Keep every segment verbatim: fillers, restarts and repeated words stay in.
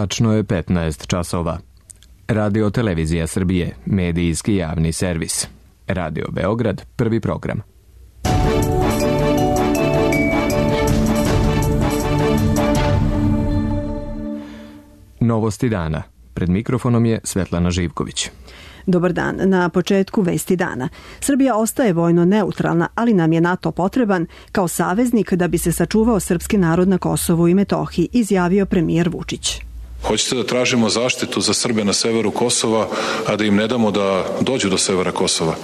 Tačno je petnaest časova. Radio Televizija Srbije, medijski javni servis. Radio Beograd, prvi program. Novosti dana. Pred mikrofonom je Svetlana Živković. Dobar dan. Na početku vesti dana. Srbija ostaje vojno neutralna, ali nam je NATO potreban kao saveznik da bi se sačuvao srpski narod na Kosovu i Metohiji, izjavio premijer Vučić. Hoćete da tražimo zaštitu za Srbe na severu Kosova, a da im ne damo da dođu do severa Kosova?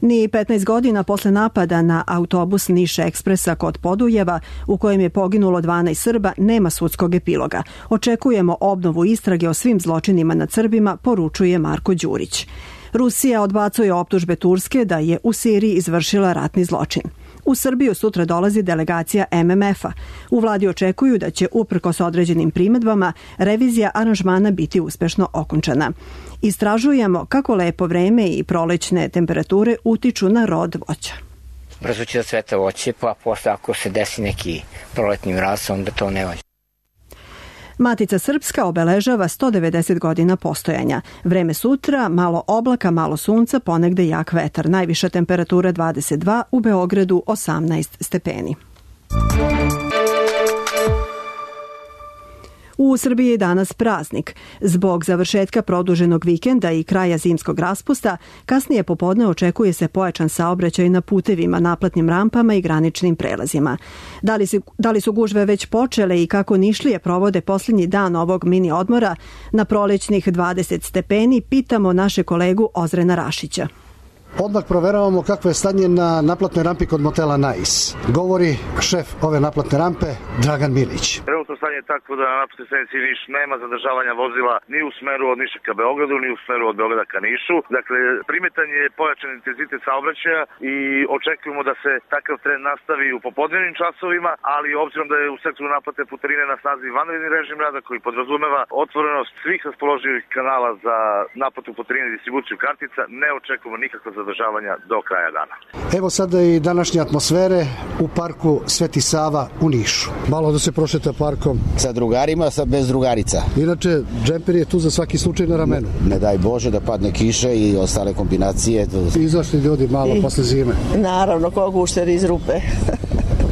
Ni petnaest godina posle napada na autobus Niš Ekspresa kod Podujeva, u kojem je poginulo dvanaest Srba, nema sudskog epiloga. Očekujemo obnovu istrage o svim zločinima nad Srbima, poručuje Marko Đurić. Rusija odbacuje optužbe Turske da je u Siriji izvršila ratni zločin. U Srbiju sutra dolazi delegacija M M F-a. U vladi očekuju da će, uprkos određenim primedbama, revizija aranžmana biti uspešno okončana. Istražujemo kako lepo vreme i prolećne temperature utiču na rod voća. Brzo će da cveta voće, pa posle ako se desi neki proletni mraz, onda to ne važi. Matica Srpska obeležava sto devedeset godina postojanja. Vreme sutra, malo oblaka, malo sunca, ponegde jak vetar. Najviša temperatura dvadeset dva, u Beogradu osamnaest stepeni. U Srbiji je danas praznik. Zbog završetka produženog vikenda i kraja zimskog raspusta, kasnije popodne očekuje se pojačan saobraćaj na putevima, naplatnim rampama i graničnim prelazima. Da li, se, da li su gužve već počele i kako Nišlije provode posljednji dan ovog mini odmora na prolećnih dvadeset stepeni, pitamo naše kolegu Ozrena Rašića. Odmah proveravamo kakvo je stanje na naplatnoj rampi kod motela Nais. Govori šef ove naplatne rampe, Dragan Milić. Trenutno stanje je takvo da na naplatnoj stanici Niš nema zadržavanja vozila ni u smeru od Niša ka Beogradu, ni u smeru od Beograda ka Nišu. Dakle, primetan je pojačan intenzitet saobraćaja i očekujemo da se takav trend nastavi u popodnevnim časovima, ali obzirom da je u sektoru naplate putarine na snazi vanredni režim rada koji podrazumeva otvorenost svih raspoloživih kanala za naplatu putarine i distribuciju kartica, ne očekujemo nikakva zadržavanja do kraja dana. Evo sada i današnje atmosfere u parku Sveti Sava u Nišu. Malo da se prošeta parkom. Sa drugarima, sa bez drugarica. Inače, džemper je tu za svaki slučaj na ramenu. Ne, ne daj Bože da padne kiša i ostale kombinacije. Izašli ljudi malo I, posle zime. Naravno, ko gušter iz rupe.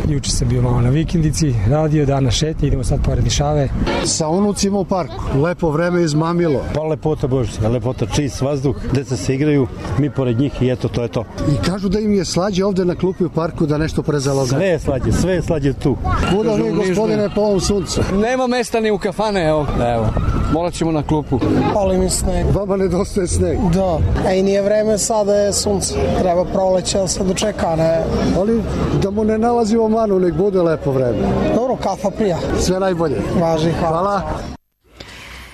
Juče sam bio malo na vikendici, radio, dana šetnje, idemo sad pored Nišave. Sa unucima u parku, lepo vreme izmamilo. Pa lepota Božića, lepota, čist vazduh, deca se igraju, mi pored njih i eto, to je to. I kažu da im je slađe ovde na klupi u parku da nešto prezalaze. Sve je slađe, sve je slađe tu. Kuda vi, gospodine, po ovom suncu? Nema mesta ni u kafane, evo. Evo. Morat ćemo na klupu. Pali mi sneg. Vama nedostaje sneg. Da. A i nije vreme, sada je sunce. Treba proleće, ali se dočeka, ne. Ali da mu ne nalazimo manu, nek bude lepo vreme. Dobro, kafa prija. Sve najbolje. Važi, hvala. Hvala.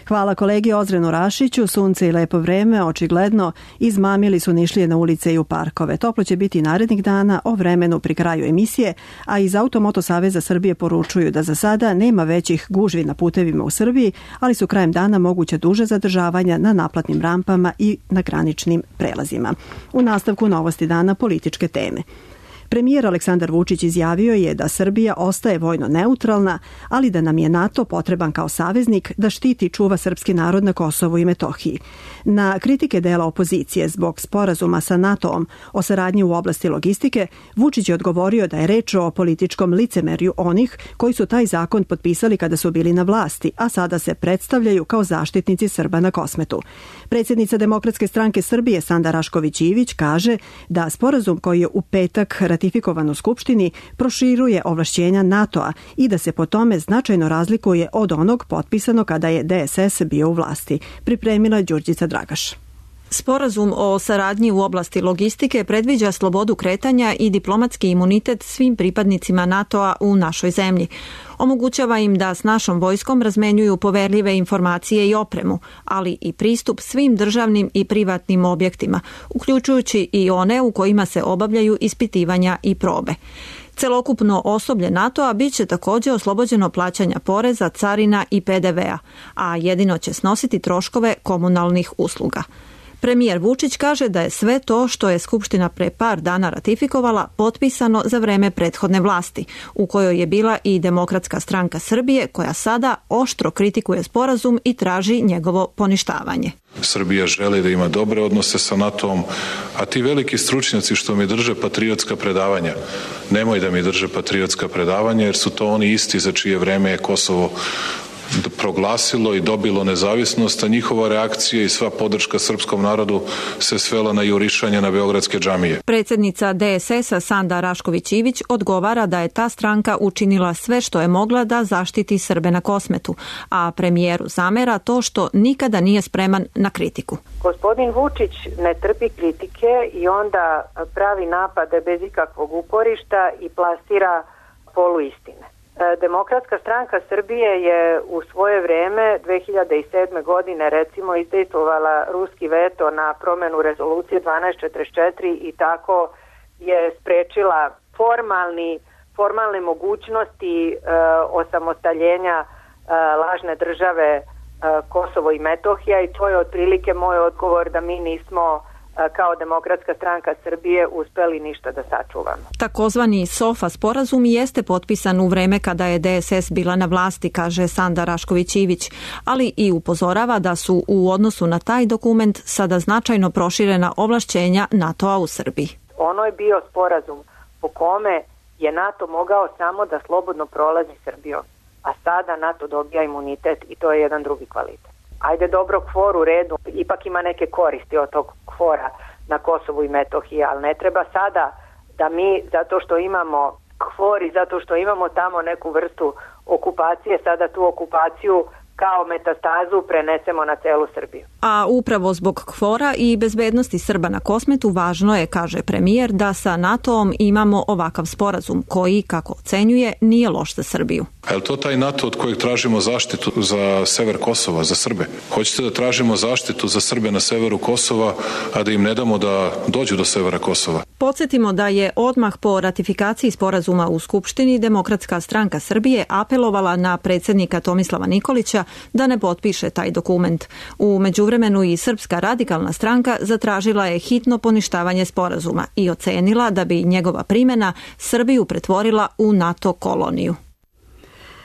Hvala kolegi Ozrenu Rašiću. Sunce i lepo vreme, očigledno, izmamili su Nišlije na ulice i u parkove. Toplo će biti narednih dana, o vremenu pri kraju emisije, a iz Automoto Saveza Srbije poručuju da za sada nema većih gužvi na putevima u Srbiji, ali su krajem dana moguće duže zadržavanja na naplatnim rampama i na graničnim prelazima. U nastavku novosti dana političke teme. Premijer Aleksandar Vučić izjavio je da Srbija ostaje vojno neutralna, ali da nam je NATO potreban kao saveznik da štiti i čuva srpski narod na Kosovu i Metohiji. Na kritike dela opozicije zbog sporazuma sa NATO-om o saradnji u oblasti logistike, Vučić je odgovorio da je reč o političkom licemerju onih koji su taj zakon potpisali kada su bili na vlasti, a sada se predstavljaju kao zaštitnici Srba na Kosmetu. Predsjednica Demokratske stranke Srbije Sanda Rašković Ivić kaže da sporazum koji je u petak ratifikovan u Skupštini proširuje ovlašćenja NATO-a i da se po tome značajno razlikuje od onog potpisano kada je D S S bio u vlasti. Pripremila je Đurđica Dragaš. Sporazum o saradnji u oblasti logistike predviđa slobodu kretanja i diplomatski imunitet svim pripadnicima NATO-a u našoj zemlji. Omogućava im da s našom vojskom razmenjuju poverljive informacije i opremu, ali i pristup svim državnim i privatnim objektima, uključujući i one u kojima se obavljaju ispitivanja i probe. Celokupno osoblje NATO-a bit će također oslobođeno plaćanja poreza, carina i P D V-a, a jedino će snositi troškove komunalnih usluga. Premijer Vučić kaže da je sve to što je Skupština pre par dana ratifikovala potpisano za vreme prethodne vlasti, u kojoj je bila i Demokratska stranka Srbije, koja sada oštro kritikuje sporazum i traži njegovo poništavanje. Srbija želi da ima dobre odnose sa NATO-om, a ti veliki stručnjaci što mi drže patriotska predavanja, nemoj da mi drže patriotska predavanja, jer su to oni isti za čije vreme je Kosovo proglasilo i dobilo nezavisnost, a njihova reakcija i sva podrška srpskom narodu se svela na jurišanje na beogradske džamije. Predsjednica D S S-a Sanda Rašković Ivić odgovara da je ta stranka učinila sve što je mogla da zaštiti Srbe na Kosmetu, a premijeru zamera to što nikada nije spreman na kritiku. Gospodin Vučić ne trpi kritike i onda pravi napade bez ikakvog uporišta i plasira poluistine. Demokratska stranka Srbije je u svoje vreme dve hiljade sedme. godine recimo izdejstvovala ruski veto na promenu rezolucije dvanaest četrdeset četiri i tako je sprečila formalni, formalne mogućnosti e, osamostaljenja e, lažne države e, Kosovo i Metohija, i to je otprilike moj odgovor da mi nismo kao Demokratska stranka Srbije uspeli ništa da sačuvamo. Takozvani SOFA sporazum jeste potpisan u vreme kada je D S S bila na vlasti, kaže Sanda Rašković-Ivić, ali i upozorava da su u odnosu na taj dokument sada značajno proširena ovlašćenja NATO-a u Srbiji. Ono je bio sporazum po kome je NATO mogao samo da slobodno prolazi Srbijom, a sada NATO dobija imunitet i to je jedan drugi kvalitet. Ajde, dobro, kvor u redu, ipak ima neke koristi od tog kvora na Kosovu i Metohiji, ali ne treba sada da mi, zato što imamo kvor i zato što imamo tamo neku vrstu okupacije, sada tu okupaciju kao metastazu prenesemo na celu Srbiju. A upravo zbog kvora i bezbednosti Srba na Kosmetu važno je, kaže premijer, da sa NATO-om imamo ovakav sporazum koji, kako ocenjuje, nije loš za Srbiju. A je li to taj NATO od kojeg tražimo zaštitu za sever Kosova, za Srbe? Hoćete da tražimo zaštitu za Srbe na severu Kosova, a da im ne damo da dođu do severa Kosova? Podsjetimo da je odmah po ratifikaciji sporazuma u Skupštini Demokratska stranka Srbije apelovala na predsjednika Tomislava Nikolića da ne potpiše taj dokument. U međuvremenu i Srpska radikalna stranka zatražila je hitno poništavanje sporazuma i ocenila da bi njegova primjena Srbiju pretvorila u NATO koloniju.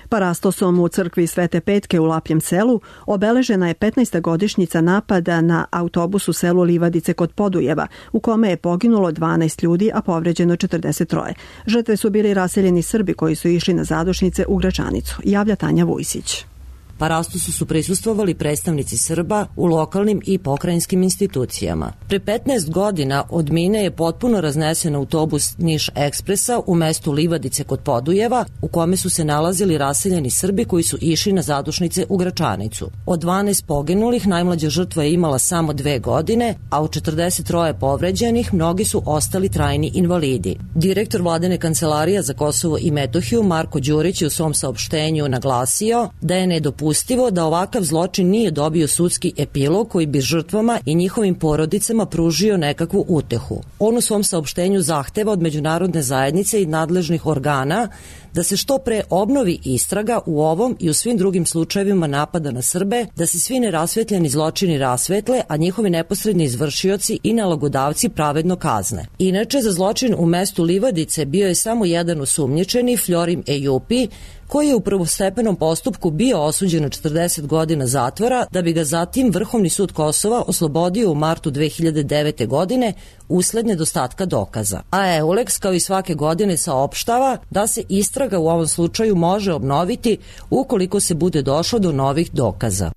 Parastosom u crkvi Svete Petke u Lapjem selu obeležena je petnaesta godišnjica napada na autobus u selu Livadice kod Podujeva, u kome je poginulo dvanaest ljudi, a povređeno četrdeset tri. Žrtve su bili raseljeni Srbi koji su išli na zadušnice u Gračanicu, javlja Tanja Vujsić. Parastosu su prisustvovali predstavnici Srba u lokalnim i pokrajinskim institucijama. Pre petnaest godina od mine je potpuno raznesen autobus Niš Ekspresa u mestu Livadice kod Podujeva, u kome su se nalazili raseljeni Srbi koji su išli na zadušnice u Gračanicu. Od dvanaest poginulih najmlađa žrtva je imala samo dve godine, a od četrdeset tri povređenih mnogi su ostali trajni invalidi. Direktor Vladine kancelarije za Kosovo i Metohiju Marko Đurić je u svom saopštenju naglasio da je nedopustivo da ovakav zločin nije dobio sudski epilog koji bi žrtvama i njihovim porodicama pružio nekakvu utehu. On u svom saopštenju zahteva od međunarodne zajednice i nadležnih organa da se što pre obnovi istraga u ovom i u svim drugim slučajevima napada na Srbe, da se svi nerasvetljeni zločini rasvetle, a njihovi neposredni izvršioci i nalogodavci pravedno kazne. Inače, za zločin u mestu Livadice bio je samo jedan osumnjičeni, Florim Ejupi, koji je u prvostepenom postupku bio osuđen na četrdeset godina zatvora, da bi ga zatim Vrhovni sud Kosova oslobodio u martu dve hiljade devete. godine usled nedostatka dokaza. A Euleks kao i svake godine saopštava da se istraga u ovom slučaju može obnoviti ukoliko se bude došlo do novih dokaza.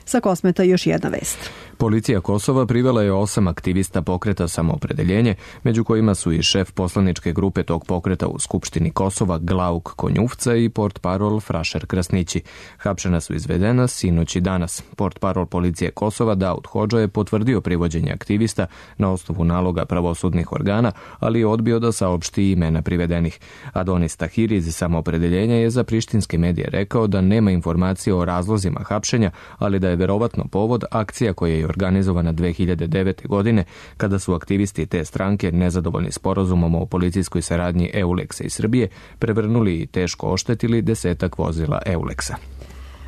Sa Kosmeta još jedna vest. Policija Kosova privela je osam aktivista pokreta Samoopredeljenje, među kojima su i šef poslaničke grupe tog pokreta u Skupštini Kosova Glauk Konjufca i portparol Frašer Krasnići. Hapšena su izvedena sinoć i danas. Portparol policije Kosova Daud Hodža je potvrdio privođenje aktivista na osnovu naloga pravosudnih organa, ali je odbio da saopšti imena privedenih. Adonis Tahiri iz Samoopredeljenja je za prištinske medije rekao da nema informacije o razlozima hapšenja, ali da je verovatno povod akcija koja je organizovana dve hiljade devete. godine, kada su aktivisti te stranke, nezadovoljni sporazumom o policijskoj saradnji Euleksa i Srbije, prevrnuli i teško oštetili desetak vozila Euleksa.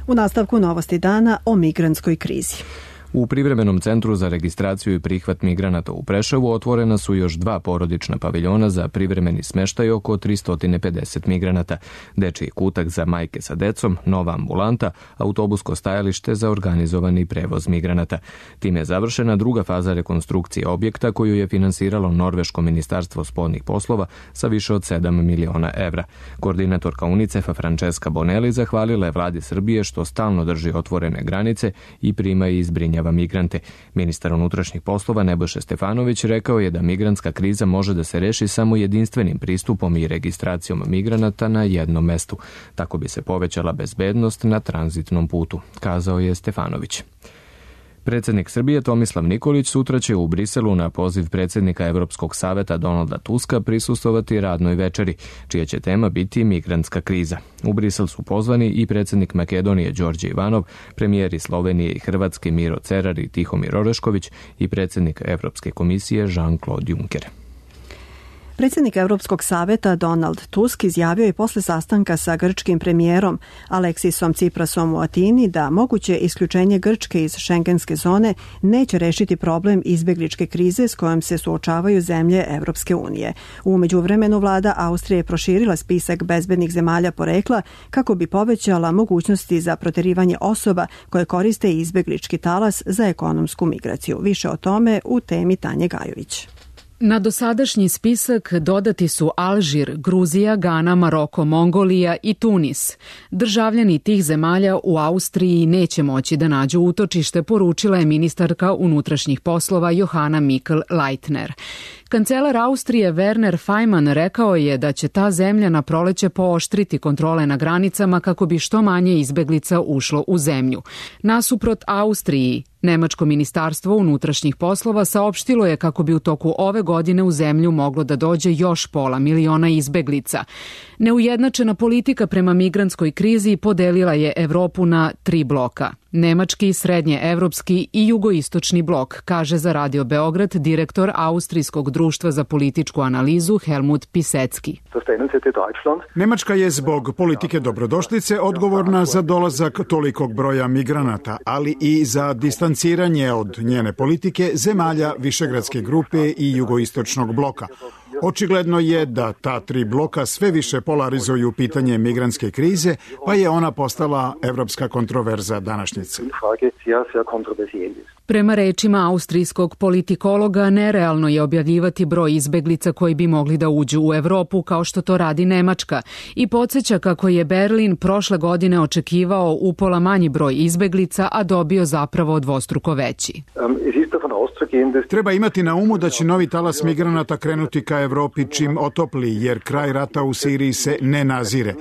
U nastavku novosti dana o migrantskoj krizi. U privremenom centru za registraciju i prihvat migranata u Preševu otvorena su još dva porodična paviljona za privremeni smeštaj oko tristo pedeset migranata, dečiji kutak za majke sa decom, nova ambulanta, autobusko stajalište za organizovani prevoz migranata. Time je završena druga faza rekonstrukcije objekta koju je finansiralo Norveško ministarstvo spoljnih poslova sa više od sedam miliona evra. Koordinatorka UNICEF-a Francesca Bonelli zahvalila je vladi Srbije što stalno drži otvorene granice i prima i zbrinjava migrante. Ministar unutrašnjih poslova Nebojša Stefanović rekao je da migrantska kriza može da se reši samo jedinstvenim pristupom i registracijom migranata na jednom mestu. Tako bi se povećala bezbednost na tranzitnom putu, kazao je Stefanović. Predsjednik Srbije Tomislav Nikolić sutra će u Briselu na poziv predsjednika Evropskog saveta Donalda Tuska prisustvovati radnoj večeri, čija će tema biti migrantska kriza. U Brisel su pozvani i predsjednik Makedonije Đorđe Ivanov, premijeri Slovenije i Hrvatske Miro Cerar i Tihomir Orešković i predsjednik Evropske komisije Jean-Claude Juncker. Predsjednik Evropskog saveta Donald Tusk izjavio je posle sastanka sa grčkim premijerom Aleksisom Tsiprasom u Atini da moguće isključenje Grčke iz šengenske zone neće rešiti problem izbegličke krize s kojom se suočavaju zemlje Evropske unije. U međuvremenu vlada Austrije je proširila spisak bezbednih zemalja porekla kako bi povećala mogućnosti za proterivanje osoba koje koriste izbeglički talas za ekonomsku migraciju. Više o tome u temi Tanje Gajović. Na dosadašnji spisak dodati su Alžir, Gruzija, Gana, Maroko, Mongolija i Tunis. Državljani tih zemalja u Austriji neće moći da nađu utočište, poručila je ministarka unutrašnjih poslova Johanna Mikl-Leitner. Kancelar Austrije Werner Faymann rekao je da će ta zemlja na proleće pooštriti kontrole na granicama kako bi što manje izbeglica ušlo u zemlju. Nasuprot Austriji, Nemačko ministarstvo unutrašnjih poslova saopštilo je kako bi u toku ove godine u zemlju moglo da dođe još pola miliona izbeglica. Neujednačena politika prema migrantskoj krizi podelila je Evropu na tri bloka. Nemački, srednje-evropski i jugoistočni blok, kaže za Radio Beograd direktor Austrijskog društva za političku analizu Helmut Pisecki. Nemačka je zbog politike dobrodošlice odgovorna za dolazak tolikog broja migranata, ali i za distanciranje od njene politike zemalja Višegradske grupe i jugoistočnog bloka. Očigledno je da ta tri bloka sve više polarizuju pitanje migrantske krize, pa je ona postala evropska kontroverza današnjice. Prema rečima austrijskog politikologa, nerealno je objavljivati broj izbeglica koji bi mogli da uđu u Evropu kao što to radi Nemačka i podsjeća kako je Berlin prošle godine očekivao upola manji broj izbeglica, a dobio zapravo dvostruko veći. Treba imati na umu da će novi talas migranata krenuti ka Evropi čim otopli, jer kraj rata u Siriji se ne nazire.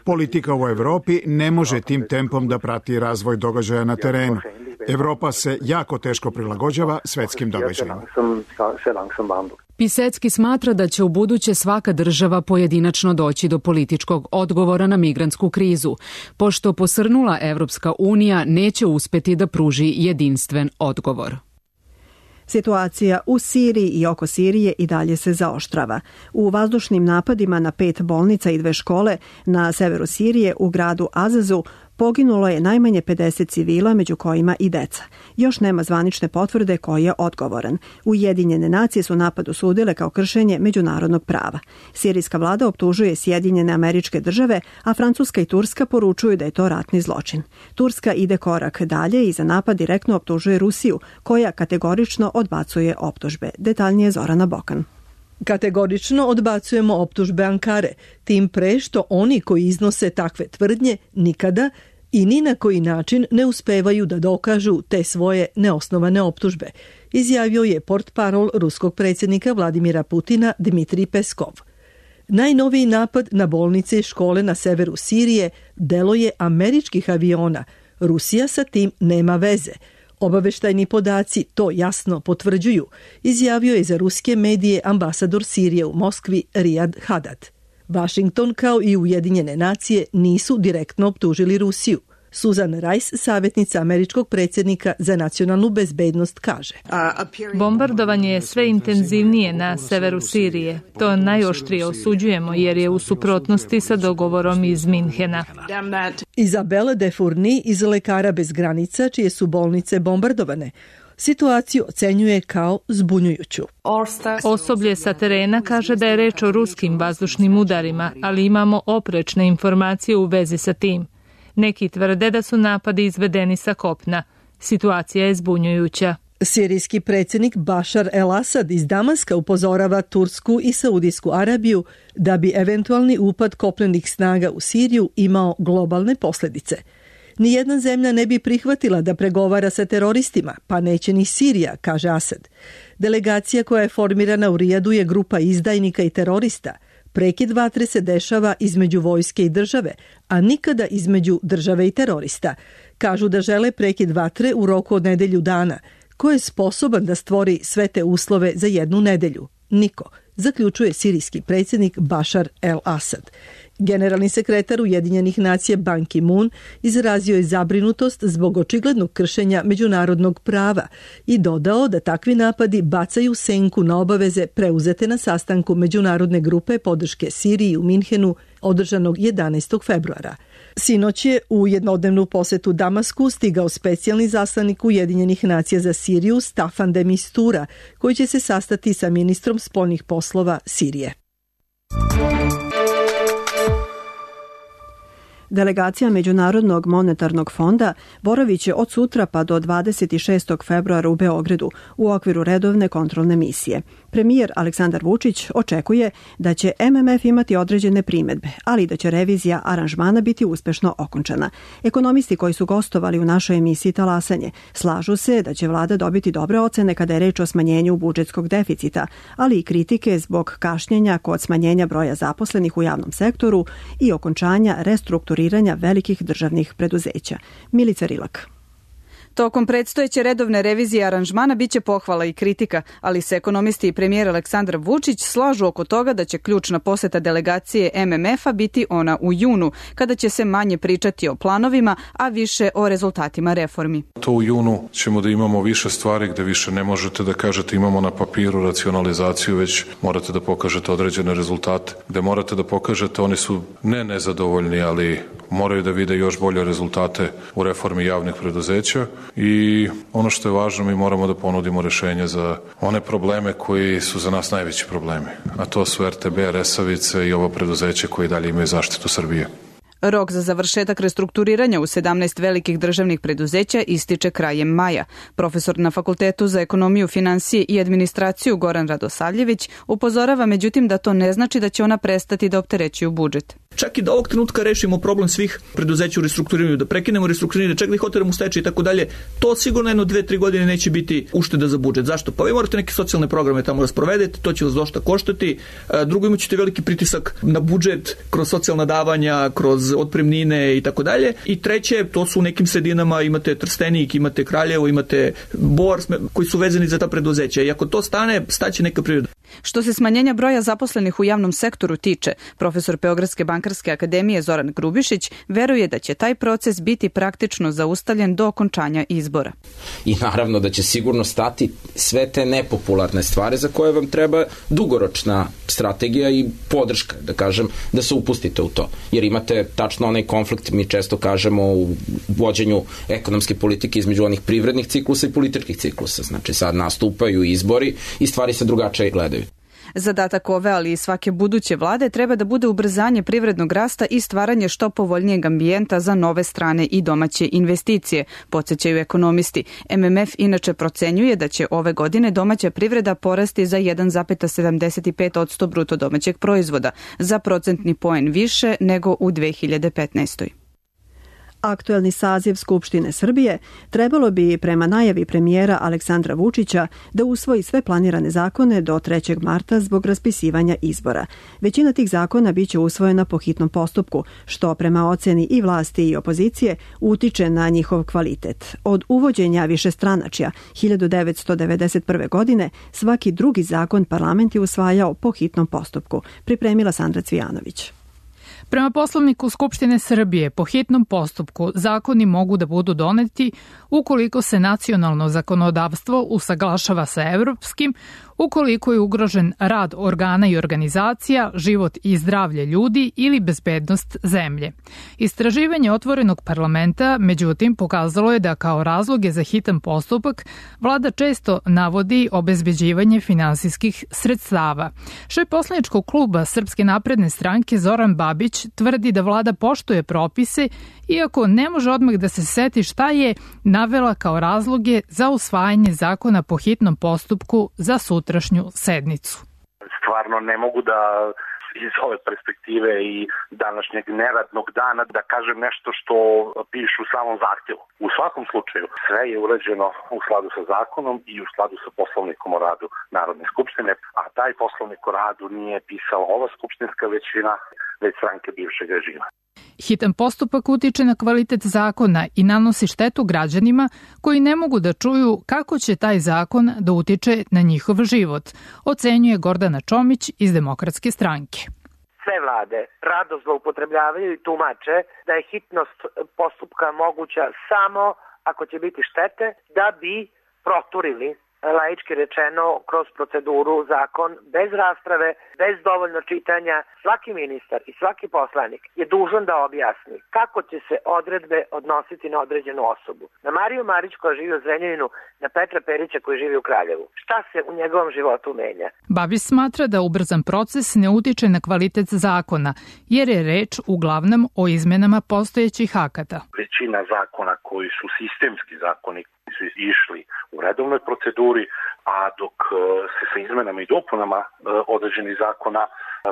Politika u Evropi ne može tim tempom da prati razvoj događaja na terenu. Evropa se jako teško prilagođava svetskim događajima. Pisecki smatra da će u buduće svaka država pojedinačno doći do političkog odgovora na migrantsku krizu, pošto posrnula Evropska unija neće uspeti da pruži jedinstven odgovor. Situacija u Siriji i oko Sirije i dalje se zaoštrava. U vazdušnim napadima na pet bolnica i dve škole na severu Sirije u gradu Azazu poginulo je najmanje pedeset civila, među kojima i deca. Još nema zvanične potvrde ko je odgovoran. Ujedinjene nacije su napad osudile kao kršenje međunarodnog prava. Sirijska vlada optužuje Sjedinjene Američke Države, a Francuska i Turska poručuju da je to ratni zločin. Turska ide korak dalje i za napad direktno optužuje Rusiju, koja kategorično odbacuje optužbe. Detaljnije Zorana Bokan. Kategorično odbacujemo optužbe Ankare, tim pre što oni koji iznose takve tvrdnje nikada i ni na koji način ne uspevaju da dokažu te svoje neosnovane optužbe, izjavio je portparol ruskog predsjednika Vladimira Putina Dmitrij Peskov. Najnoviji napad na bolnice i škole na severu Sirije delo je američkih aviona. Rusija sa tim nema veze. Obaveštajni podaci to jasno potvrđuju, izjavio je za ruske medije ambasador Sirije u Moskvi Rijad Hadad. Washington kao i Ujedinjene nacije nisu direktno optužili Rusiju. Susan Rice, savjetnica američkog predsjednika za nacionalnu bezbednost, kaže. Bombardovanje je sve intenzivnije na severu Sirije. To najoštrije osuđujemo jer je u suprotnosti sa dogovorom iz Minhena. Izabela De Fourny iz Lekara bez granica, čije su bolnice bombardovane, situaciju ocenjuje kao zbunjujuću. Osoblje sa terena kaže da je reč o ruskim vazdušnim udarima, ali imamo oprečne informacije u vezi sa tim. Neki tvrde da su napadi izvedeni sa kopna. Situacija je zbunjujuća. Sirijski predsjednik Bašar el-Asad iz Damaska upozorava Tursku i Saudijsku Arabiju da bi eventualni upad kopnenih snaga u Siriju imao globalne posljedice. Nijedna zemlja ne bi prihvatila da pregovara sa teroristima, pa neće ni Sirija, kaže Asad. Delegacija koja je formirana u Rijadu je grupa izdajnika i terorista. Prekid vatre se dešava između vojske i države, a nikada između države i terorista. Kažu da žele prekid vatre u roku od nedelju dana. Ko je sposoban da stvori sve te uslove za jednu nedelju? Niko, zaključuje sirijski predsjednik Bašar el-Asad. Generalni sekretar Ujedinjenih nacija Ban Ki-moon izrazio je zabrinutost zbog očiglednog kršenja međunarodnog prava i dodao da takvi napadi bacaju senku na obaveze preuzete na sastanku međunarodne grupe podrške Siriji u Minhenu održanog jedanaestog februara. Sinoć je u jednodnevnu posetu Damasku stigao specijalni zaslanik Ujedinjenih nacija za Siriju Staffan de Mistura, koji će se sastati sa ministrom spoljnih poslova Sirije. Delegacija Međunarodnog monetarnog fonda boravit će od sutra pa do dvadeset šestog februara u Beogradu u okviru redovne kontrolne misije. Premijer Aleksandar Vučić očekuje da će M M F imati određene primedbe, ali da će revizija aranžmana biti uspešno okončana. Ekonomisti koji su gostovali u našoj emisiji Talasanje slažu se da će vlada dobiti dobre ocene kada je reč o smanjenju budžetskog deficita, ali i kritike zbog kašnjenja kod smanjenja broja zaposlenih u javnom sektoru i okončanja restrukturiranja velikih državnih preduzeća. Milica Rilak. Tokom predstojeće redovne revizije aranžmana biće pohvala i kritika, ali se ekonomisti i premijer Aleksandar Vučić slažu oko toga da će ključna poseta delegacije M M F-a biti ona u junu, kada će se manje pričati o planovima, a više o rezultatima reformi. To u junu ćemo da imamo više stvari gde više ne možete da kažete imamo na papiru racionalizaciju, već morate da pokažete određene rezultate. Gde morate da pokažete, oni su ne nezadovoljni, ali moraju da vide još bolje rezultate u reformi javnih preduzeća. I ono što je važno, mi moramo da ponudimo rešenje za one probleme koji su za nas najveći problemi, a to su R T B, Resavice i ovo preduzeće koje dalje imaju zaštitu Srbije. Rok za završetak restrukturiranja u sedamnaest velikih državnih preduzeća ističe krajem maja. Profesor na Fakultetu za ekonomiju, finansije i administraciju Goran Radosavljević upozorava međutim da to ne znači da će ona prestati da opterećuju budžet. Čak i da ovog trenutka rešimo problem svih preduzeća u restrukturiranju, da prekinemo restrukturiranje, čak da ih oteramo u stečaj i tako dalje, to sigurno jedno dve, tri godine neće biti ušteda za budžet. Zašto? Pa vi morate neke socijalne programe tamo da sprovedete, to će vas dosta koštati. Drugo, imat ćete veliki pritisak na budžet kroz socijalna davanja, kroz otpremnine i tako dalje. I treće, to su u nekim sredinama, imate Trstenik, imate Kraljevo, imate Bor, koji su vezani za ta preduzeća. I ako to stane, staće neka priroda. Što se smanjenja broja zaposlenih u javnom sektoru tiče, profesor Beogradske bankarske akademije Zoran Grubišić veruje da će taj proces biti praktično zaustavljen do okončanja izbora. I naravno da će sigurno stati sve te nepopularne stvari za koje vam treba dugoročna strategija i podrška, da kažem, da se upustite u to. Jer imate tačno onaj konflikt, mi često kažemo, u vođenju ekonomske politike između onih privrednih ciklusa i političkih ciklusa. Znači sad nastupaju izbori i stvari se drugačije gledaju. Zadatak ove, ali i svake buduće vlade treba da bude ubrzanje privrednog rasta i stvaranje što povoljnijeg ambijenta za nove strane i domaće investicije, podsjećaju ekonomisti. M M F inače procenjuje da će ove godine domaća privreda porasti za jedan zarez sedamdeset pet posto bruto domaćeg proizvoda, za procentni poen više nego u dve hiljade petnaestoj. Aktuelni saziv Skupštine Srbije trebalo bi, prema najavi premijera Aleksandra Vučića, da usvoji sve planirane zakone do trećeg marta zbog raspisivanja izbora. Većina tih zakona biće usvojena po hitnom postupku, što prema oceni i vlasti i opozicije utiče na njihov kvalitet. Od uvođenja višestranačja hiljadu devetsto devedeset prve. godine svaki drugi zakon parlament je usvajao po hitnom postupku, pripremila Sandra Cvijanović. Prema Poslovniku Skupštine Srbije, po hitnom postupku zakoni mogu da budu doneti ukoliko se nacionalno zakonodavstvo usaglašava sa evropskim, ukoliko je ugrožen rad organa i organizacija, život i zdravlje ljudi ili bezbednost zemlje. Istraživanje Otvorenog parlamenta, međutim, pokazalo je da kao razloge za hitan postupak vlada često navodi obezbeđivanje finansijskih sredstava. Šef poslaničkog kluba Srpske napredne stranke Zoran Babić tvrdi da vlada poštuje propise, iako ne može odmah da se seti šta je navela kao razloge za usvajanje zakona po hitnom postupku za sutrašnju sednicu. Stvarno ne mogu da iz ove perspektive i današnjeg neradnog dana da kažem nešto što pišu u samom zahtjevu. U svakom slučaju sve je urađeno u skladu sa zakonom i u skladu sa Poslovnikom o radu Narodne skupštine, a taj Poslovnik o radu nije pisala ova skupštinska većina, već stranke bivšeg režima. Hitan postupak utiče na kvalitet zakona i nanosi štetu građanima koji ne mogu da čuju kako će taj zakon da utiče na njihov život, ocenjuje Gordana Čomić iz Demokratske stranke. Sve vlade rado zloupotrebljavaju i tumače da je hitnost postupka moguća samo ako će biti štete da bi proturili, laički rečeno, kroz proceduru zakon bez rasprave, bez dovoljno čitanja. Svaki ministar i svaki poslanik je dužan da objasni kako će se odredbe odnositi na određenu osobu. Na Mariju Marić koja živi u Zrenjaninu, na Petra Perića koji živi u Kraljevu. Šta se u njegovom životu menja? Babić smatra da ubrzan proces ne utiče na kvalitet zakona, jer je reč uglavnom o izmenama postojećih akata. Većina zakona koji su sistemski zakoni su išli u redovnoj proceduri, a dok se sa izmenama i dopunama određenih zakona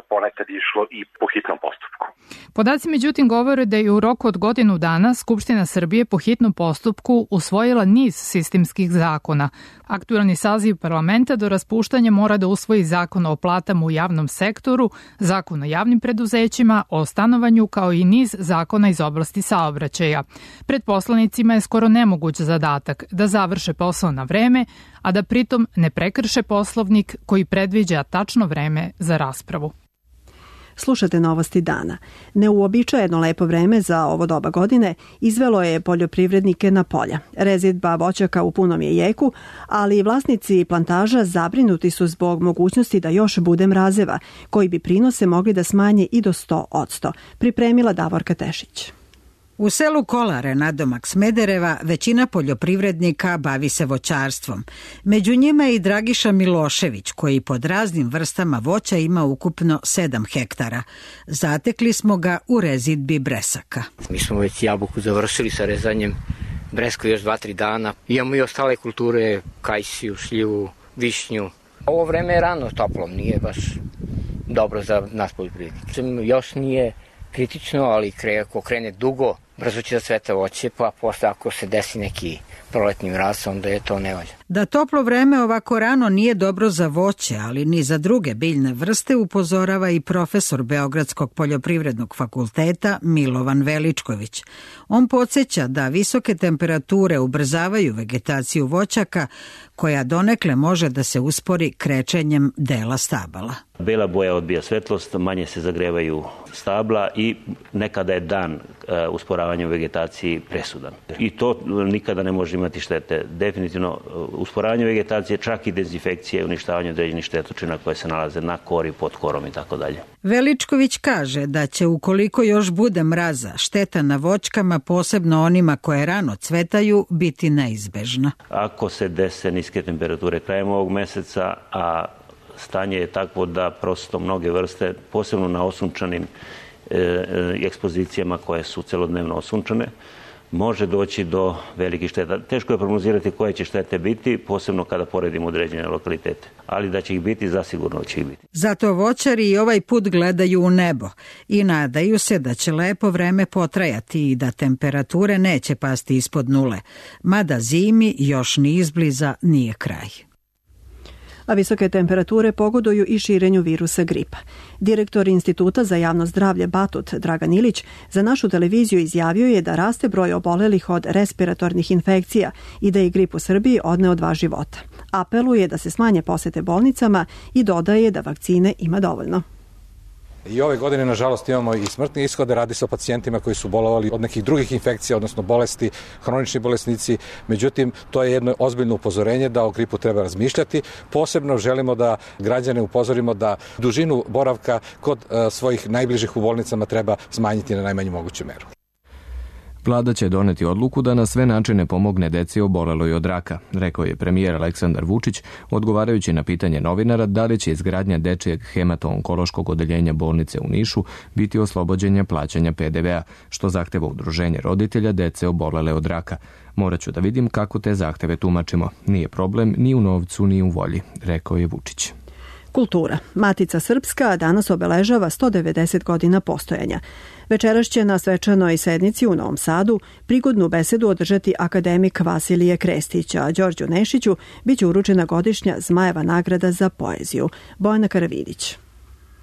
ponekad išlo i po hitnom postupku. Podaci međutim govore da je u roku od godinu dana Skupština Srbije po hitnom postupku usvojila niz sistemskih zakona. Aktuelni saziv parlamenta do raspuštanja mora da usvoji zakon o platama u javnom sektoru, zakon o javnim preduzećima, o stanovanju kao i niz zakona iz oblasti saobraćaja. Pred poslanicima je skoro nemoguć zadatak da završe posao na vreme, a da pritom ne prekrše Poslovnik koji predviđa tačno vreme za raspravu. Slušate novosti dana. Neuobičajeno lepo vreme za ovo doba godine izvelo je poljoprivrednike na polja. Rezidba voćaka u punom je jeku, ali vlasnici plantaža zabrinuti su zbog mogućnosti da još bude mrazeva, koji bi prinose mogli da smanje i do sto posto. Pripremila Davorka Tešić. U selu Kolare, nadomak Smedereva, većina poljoprivrednika bavi se voćarstvom. Među njima je i Dragiša Milošević, koji pod raznim vrstama voća ima ukupno sedam hektara. Zatekli smo ga u rezidbi bresaka. Mi smo već jabuku završili sa rezanjem, bresku još dva, tri dana. Imamo i ostale kulture, kajsiju, šljivu, višnju. Ovo vreme je rano toplo, nije baš dobro za nas poljoprivrednike. Još nije kritično, ali ako krene dugo, brzo će da cveta voće, pa posle ako se desi neki proletni mraz, onda je to nevalja. Da toplo vreme ovako rano nije dobro za voće, ali ni za druge biljne vrste, upozorava i profesor Beogradskog poljoprivrednog fakulteta Milovan Veličković. On podsjeća da visoke temperature ubrzavaju vegetaciju voćaka, koja donekle može da se uspori krečenjem dela stabala. Bela boja odbija svetlost, manje se zagrevaju stabla i nekada je dan usporavanjem vegetaciji presudan. I to nikada ne može imati štete. Definitivno usporavanje vegetacije, čak i dezinfekcije, uništavanje određenih štetočina koje se nalaze na kori, pod korom i tako dalje. Veličković kaže da će ukoliko još bude mraza, šteta na voćkama, posebno onima koje rano cvetaju, biti neizbežna. Ako se dese niske temperature krajem ovog meseca, a stanje je takvo da prosto mnoge vrste, posebno na osunčanim e, ekspozicijama koje su celodnevno osunčane, može doći do velikih šteta. Teško je prognozirati koje će štete biti, posebno kada poredimo određene lokalitete. Ali da će ih biti, zasigurno će ih biti. Zato voćari i ovaj put gledaju u nebo i nadaju se da će lepo vreme potrajati i da temperature neće pasti ispod nule, mada zimi još ni izbliza nije kraj. A visoke temperature pogoduju i širenju virusa gripa. Direktor Instituta za javno zdravlje Batut, Dragan Ilić, za našu televiziju izjavio je da raste broj obolelih od respiratornih infekcija i da je grip u Srbiji odneo dva života. Apeluje da se smanje posete bolnicama i dodaje da vakcine ima dovoljno. I ove godine, nažalost, imamo i smrtne ishode, radi se o pacijentima koji su bolovali od nekih drugih infekcija, odnosno bolesti, hronični bolesnici. Međutim, to je jedno ozbiljno upozorenje da o gripu treba razmišljati. Posebno želimo da građane upozorimo da dužinu boravka kod uh, svojih najbližih u bolnicama treba smanjiti na najmanju moguću meru. Vlada će doneti odluku da na sve načine pomogne deci oboleloj od raka, rekao je premijer Aleksandar Vučić, odgovarajući na pitanje novinara da li će izgradnja dečijeg hemato-onkološkog odeljenja bolnice u Nišu biti oslobođenja plaćanja pe de ve a, što zahteva udruženje roditelja dece obolele od raka. Moraću da vidim kako te zahteve tumačimo. Nije problem ni u novcu ni u volji, rekao je Vučić. Kultura. Matica Srpska danas obeležava sto devedeset godina postojanja. Večeras će na svečanoj sednici u Novom Sadu prigodnu besedu održati akademik Vasilije Krestić, a Đorđu Nešiću biće uručena godišnja Zmajeva nagrada za poeziju. Bojana Karavidić.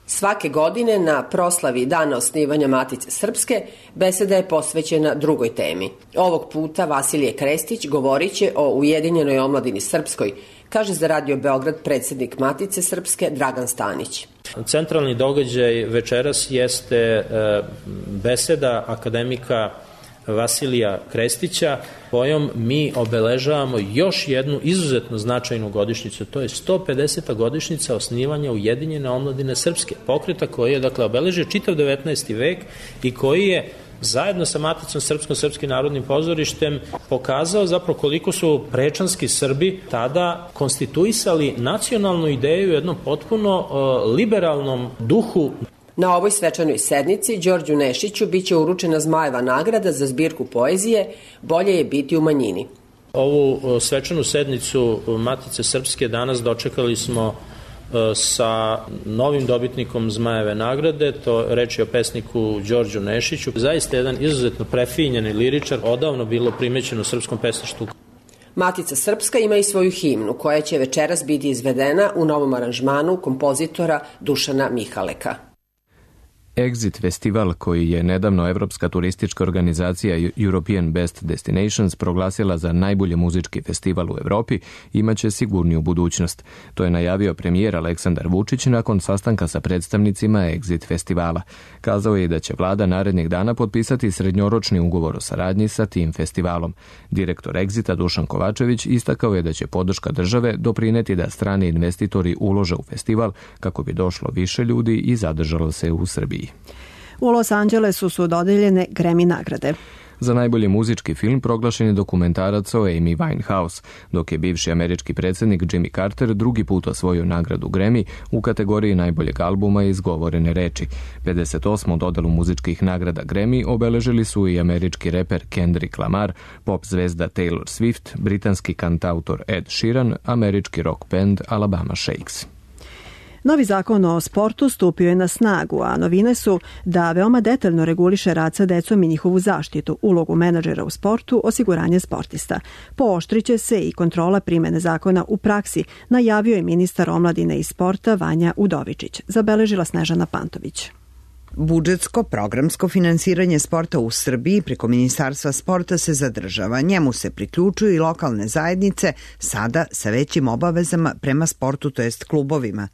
Svake godine na proslavi dana osnivanja Matice Srpske beseda je posvećena drugoj temi. Ovog puta Vasilije Krestić govorit će o Ujedinjenoj omladini srpskoj, kaže za Radio Beograd predsjednik Matice Srpske Dragan Stanić. Centralni događaj večeras jeste beseda akademika Vasilija Krestića, kojom mi obeležavamo još jednu izuzetno značajnu godišnjicu. To je sto pedeseta godišnjica osnivanja Ujedinjene omladine srpske, pokreta koji je dakle obeležio čitav devetnaesti vek i koji je zajedno sa Maticom Srpskom, Srpskim narodnim pozorištem pokazao zapravo koliko su prečanski Srbi tada konstituisali nacionalnu ideju u jednom potpuno uh, liberalnom duhu. Na ovoj svečanoj sednici Đorđu Nešiću biće uručena Zmajeva nagrada za zbirku poezije Bolje je biti u manjini. Ovu svečanu sednicu Matice Srpske danas dočekali smo sa novim dobitnikom Zmajeve nagrade, to reč je o pesniku Đorđu Nešiću. Zaista jedan izuzetno prefinjeni liričar, odavno bilo primećeno u srpskom pesništvu. Matica Srpska ima i svoju himnu koja će večeras biti izvedena u novom aranžmanu kompozitora Dušana Mihaleka. Exit festival, koji je nedavno Evropska turistička organizacija European Best Destinations proglasila za najbolji muzički festival u Evropi, imaće sigurniju budućnost. To je najavio premijer Aleksandar Vučić nakon sastanka sa predstavnicima Exit festivala. Kazao je da će vlada narednih dana potpisati srednjoročni ugovor o saradnji sa tim festivalom. Direktor Exita Dušan Kovačević istakao je da će podrška države doprineti da strani investitori ulože u festival kako bi došlo više ljudi i zadržalo se u Srbiji. U Los Angelesu su dodeljene Grammy nagrade. Za najbolji muzički film proglašen je dokumentarac o Amy Winehouse, dok je bivši američki predsjednik Jimmy Carter drugi put osvojio nagradu Grammy u kategoriji najboljeg albuma i izgovorene reči. pedeset osmu dodelu muzičkih nagrada Grammy obeležili su i američki reper Kendrick Lamar, pop zvezda Taylor Swift, britanski kantautor Ed Sheeran, američki rock band Alabama Shakes. Novi zakon o sportu stupio je na snagu, a novine su da veoma detaljno reguliše rad sa decom i njihovu zaštitu, ulogu menadžera u sportu, osiguranje sportista. Pooštriće se i kontrola primene zakona u praksi, najavio je ministar omladine i sporta Vanja Udovičić. Zabeležila Snežana Pantović. Budžetsko programsko finansiranje sporta u Srbiji preko Ministarstva sporta se zadržava. Njemu se priključuju i lokalne zajednice, sada sa većim obavezama prema sportu, to jest klubovima.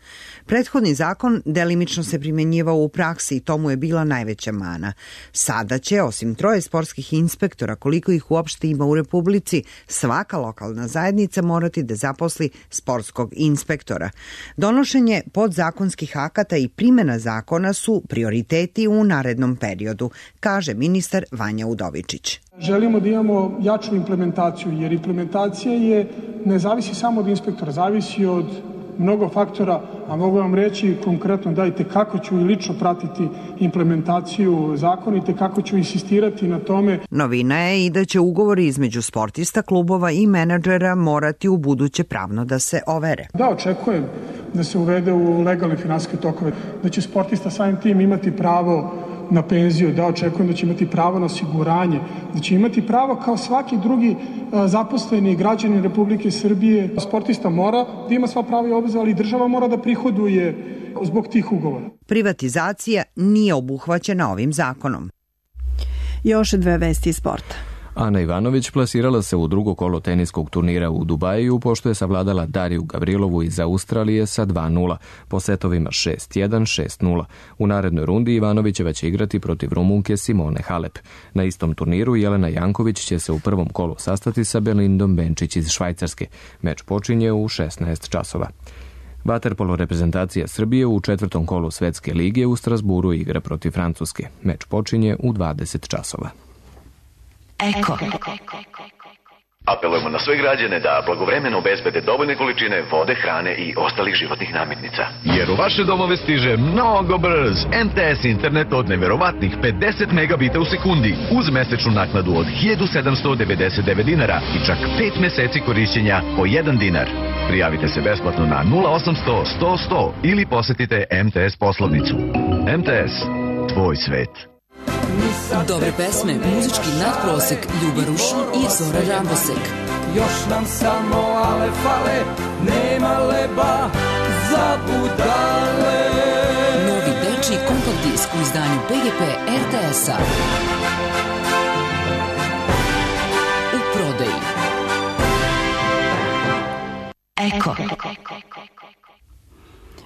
Prethodni zakon delimično se primjenjivao u praksi i tomu je bila najveća mana. Sada će, osim troje sportskih inspektora, koliko ih uopšte ima u Republici, svaka lokalna zajednica morati da zaposli sportskog inspektora. Donošenje podzakonskih akata i primjena zakona su prioriteti u narednom periodu, kaže ministar Vanja Udovičić. Želimo da imamo jaču implementaciju, jer implementacija je, ne zavisi samo od inspektora, zavisi od mnogo faktora, a mogu vam reći konkretno dajte kako ću i lično pratiti implementaciju zakonite, kako ću insistirati na tome. Novina je i da će ugovori između sportista, klubova i menadžera morati u buduće pravno da se overe. Da, očekujem da se uvede u legalne finansijske tokove, da će sportista samim tim imati pravo na penziju, da očekujem da će imati pravo na osiguranje, da će imati pravo kao svaki drugi zaposleni građanin Republike Srbije. Sportista mora da ima sva prava i obaveze, ali država mora da prihoduje zbog tih ugovora. Privatizacija nije obuhvaćena ovim zakonom. Još dve vesti iz sporta. Ana Ivanović plasirala se u drugo kolo teniskog turnira u Dubaju, pošto je savladala Dariju Gavrilovu iz Australije sa dva nula, po setovima šest jedan, šest nula. U narednoj rundi Ivanovićeva će igrati protiv Rumunke Simone Halep. Na istom turniru Jelena Janković će se u prvom kolu sastati sa Belindom Benčić iz Švajcarske. Meč počinje u šesnaest časova. Vaterpolo reprezentacija Srbije u četvrtom kolu Svetske lige u Strasburu igra protiv Francuske. Meč počinje u dvadeset časova. Eko. Apelujemo na sve građane da blagovremeno obezbede dovoljne količine vode, hrane i ostalih životnih namirnica. Jer u vaše domove stiže mnogo brz em te es internet od neverovatnih pedeset megabita u sekundi uz mesečnu naknadu od hiljadu sedamsto devedeset devet dinara i čak pet meseci korišćenja po jedan dinar. Prijavite se besplatno na nula osamsto sto sto ili posetite em te es poslovnicu. em te es, tvoj svet. Dobre pesme, muzički nadprosek, Ljuba Rušin i Zora Rabosek. Još nam samo ale fale, nema leba za budale. Novi dečiji kompakt disk u izdanju be ge pe er te es-a. U prodaji. Eko.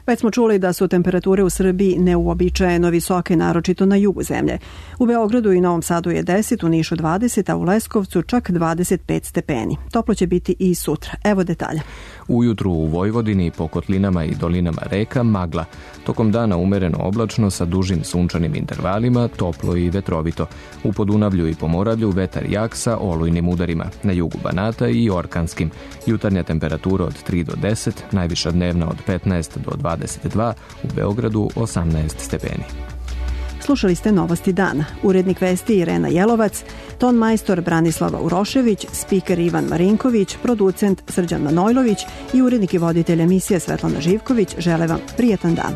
Već smo čuli da su temperature u Srbiji neuobičajeno visoke, naročito na jugu zemlje. U Beogradu i Novom Sadu je deset, u Nišu dvadeset, a u Leskovcu čak dvadeset pet stepeni. Toplo će biti i sutra. Evo detalja. Ujutru u Vojvodini, po kotlinama i dolinama reka, magla. Tokom dana umereno oblačno sa dužim sunčanim intervalima, toplo i vetrovito. U Podunavlju i Pomoravlju vetar jak sa olujnim udarima. Na jugu Banata i orkanskim. Jutarnja temperatura od tri do deset, najviša dnevna od petnaest do dvadeset dva, u Beogradu osamnaest stepeni. Slušali ste Novosti dana. Urednik vesti Irena Jelovac, ton majstor Branislava Urošević, spiker Ivan Marinković, producent Srđan Manojlović i urednik i voditelj emisije Svetlana Živković žele vam prijetan dan.